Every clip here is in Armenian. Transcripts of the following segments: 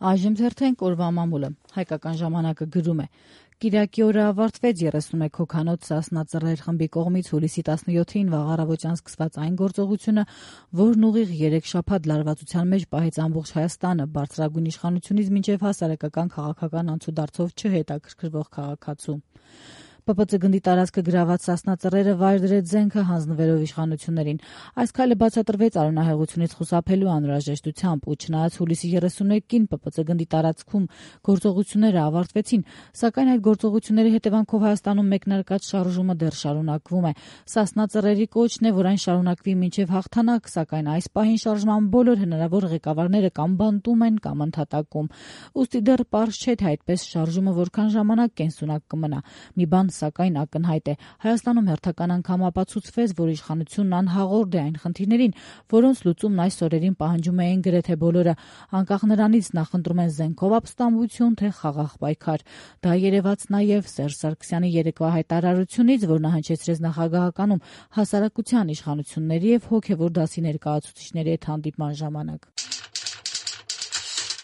Այժմ թերթենք օրվա մամուլը։ Հայկական ժամանակը գրում է. Կիրակի օրը ավարտվեց 31 հոգանոց Սասնա Ծռեր խմբի կողմից հուլիսի 17-ին վաղ առավոտյան սկսված այն գործողությունը, որն ուղիղ 3 շաբաթ լարվածության մեջ պահեց ամբողջ Հայաստանը, բարձրագույն իշխանությունից մինչև հասարակական քաղաքական անցուդարձով չհետաքրքրվող քաղաքացու։ ՊՊՑ գնդի տարածքը գրաված Սասնա Ծռերը վայր դրեց զենքը հանձնվելով իշխանություններին։ Այս քայլը բացատրվեց արյունահեղությունից խուսափելու անհրաժեշտությամբ ու չնայած հուլիսի 31-ին ՊՊՑ գնդի տարածքում գործողությունները ավարտվեցին, սակայն այդ գործողությունների հետևանքով Հայաստանում մեկնարկած շարժումը դեռ շարունակվում է։ Սասնա Ծռերի կոչն է, որ այն շարունակվի մինչև հաղթանակ, սակայն այս պահին շարժման բոլոր հնարավոր ղեկավարները կամ բանտում են կամ ընդհատակում։ Ուստի դեռ պարզ չէ, թե այդպես շարժումը որքան ժամանակ կենսունակ կմնա։ Մի բան սակայն ակնհայտ է. Հայաստանում հերթական անգամ ապացուցվեց, որ իշխանությունն անհաղորդ է այն խնդիրներին, որոնց լուծումն այս օրերին պահանջում էին գրեթե բոլորը, անկախ նրանից նախընտրում են զենքով ապստամբություն, թե խաղաղ պայքար։ Դա երևաց նաև Սերժ Սարգսյանի երեկվա հայտարարությունից, որ նա հնչեցրեց նախագահականում հասարակության, իշխանությունների եւ հոգեվոր դասի ներկայացուցիչների հետ հանդիպման ժամանակ։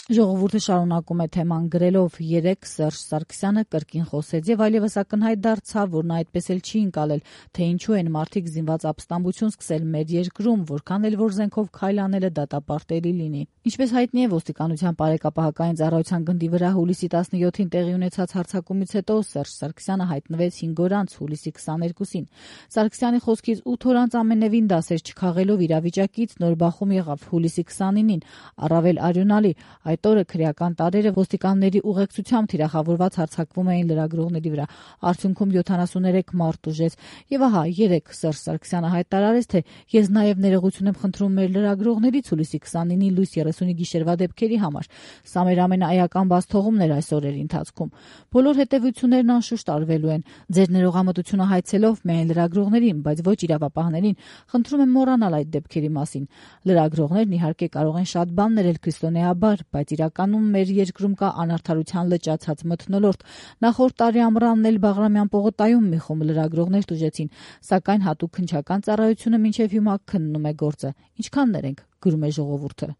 Ժողովուրդը շարունակում է թեման գրելով. երեկ Սերժ Սարգսյանը կրկին խոսեց եւ այլևս ակնհայտ դարձավ, որ նա այդպես էլ չի ընկալել, թե ինչու են մարդիկ զինված ապստամբություն սկսել մեր երկրում, որքան էլ որ զենքով քայլ անելը դատապարտելի լինի։ Ինչպես հայտնի է, ոստիկանության բարեկապահական ծառայության գնդի վրա հուլիսի 17-ին տեղի ունեցած հարձակումից հետո Սերժ Սարգսյանը հայտնվեց 5 օր անց հուլիսի 22-ին։ Սարգսյանի խոսքից 8 օր անց ամենևին դասեր չքաղելով իրավիճակից նոր բախում եղավ հուլիսի 29-ին, առավել արյունալի։ Այդ օրը քրեական տարրերը ոստիկանների ուղեկցությամբ թիրախավորված հարձակվում էին լրագրողների վրա։ Արդյունքում 73 մարդ ուժեց։ Եվ ահա երեկ Սերժ Սարգսյանը հայտարարեց, թե ես նաև ներողություն եմ խնդրում մեր լրագրողներից հուլիսի 29-ի լույս 30-ի գիշերվա դեպքերի համար։ Սա մեր ամենաայական բացթողումն էր այս օրերի ընթացքում։ Բոլոր հետևություններն անշուշտ արվելու են։ Ձեր ներողամտությունը հայցելով միայն լրագրողներին, բայց ոչ իրավապահներին, խնդրում եմ մոռանալ այդ դեպքերի մասին։ Լրագրողներն իհարկե կարող են շատ բան ներել քրիստոնեաբար, բայց իրականում մեր երկրում կա անարդարության լճացած մթնոլորտ։ Նախորդ տարի ամռանն էլ Բաղրամյան պողոտայում մի խումբ լրագրողներ տուժեցին, սակայն հատուկ քննչական ծառայությունը մինչև հիմա քննում է գործը։ Ինչքան ներենք, գրում է ժողովուրդը։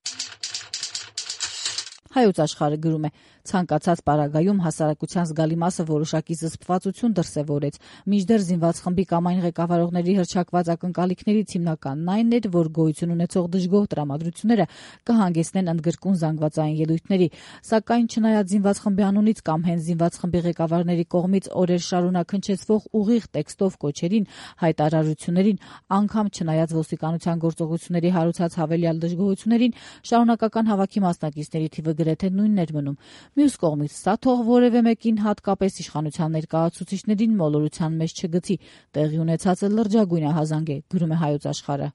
Հայոց աշխարհը գրում է. ցանկացած պարագայում հասարակության զգալի մասը որոշակի զսպվածություն դրսևորեց, մինչդեռ զինված խմբի կամ այն ղեկավարողների հռչակված ակնկալիքներից հիմնականն այն էր, որ գոյություն ունեցող դժգոհ տրամադրությունները կհանգեցնեն ընդգրկուն զանգվածային ելույթների, սակայն չնայած զինված խմբի անունից կամ հենց զինված խմբի ղեկավարների կողմից օրեր շարունակ հնչեցվող ուղիղ տեքստով կոչերին, հայտարարություններին, անգամ չնայած ոստիկանության գործողությունների հարուցած հավելյալ դժգոհություններին, շարունակական հավաքի մասնակիցների թիվը գրեթե նույնն էր մնում։ Մյուս կողմից սա թող որևէ մեկին, հատկապես իշխանության ներկայացուցիչներին մոլորության մեջ չգցի, տեղի ունեցածը լրջագույն ահազանգ է, գրում է Հայոց աշխարհը։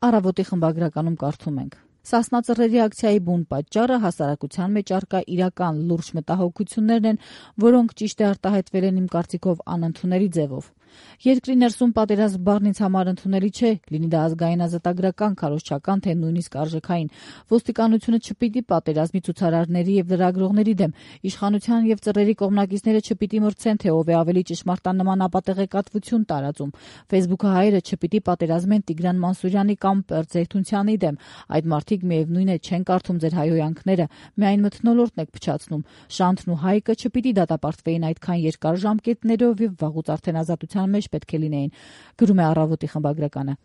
Առավոտի խմբագրականում կարդում ենք. Սասնա Ծռերի ակցիայի բուն պատճառը հասարակության մեջ առկա իրական լուրջ մտահոգություններն են, որոնք ճիշտ է արտահայտվել են իմ կարծիքով անընդունելի ձևով։ Երկրի ներսում պատերազմ բառն ինձ համար ընդունելի չէ, լինի դա ազգային ազատագրական, քարոզչական, թե նույնիսկ արժեքային։ Ոստիկանությունը չպիտի պատերազմի ցուցարարների եւ լրագրողների դեմ, իշխանության եւ Ծռերի կողմնակիցները չպիտի մրցեն, թե ով է ավելի ճշմարտանման ապատեղեկատվություն տարածում։ Facebook-ը հայերը չպիտի պատերազմեն Տիգրան Մանսուրյանի կամ Պերձեյթունցյանի դեմ։ Այդ մարդիկ միևնույն է չեն կարդում ձեր հայհոյանքները, միայն մթնոլորտն եք փչացնում։ Շանթն ու Հայկը չպիտի դատապարտվեին այդքան երկար ժամկետներով եւ վաղուց արդեն ազատության մեջ պետք է լինեին, գրում է Առավոտի խմբագրականը։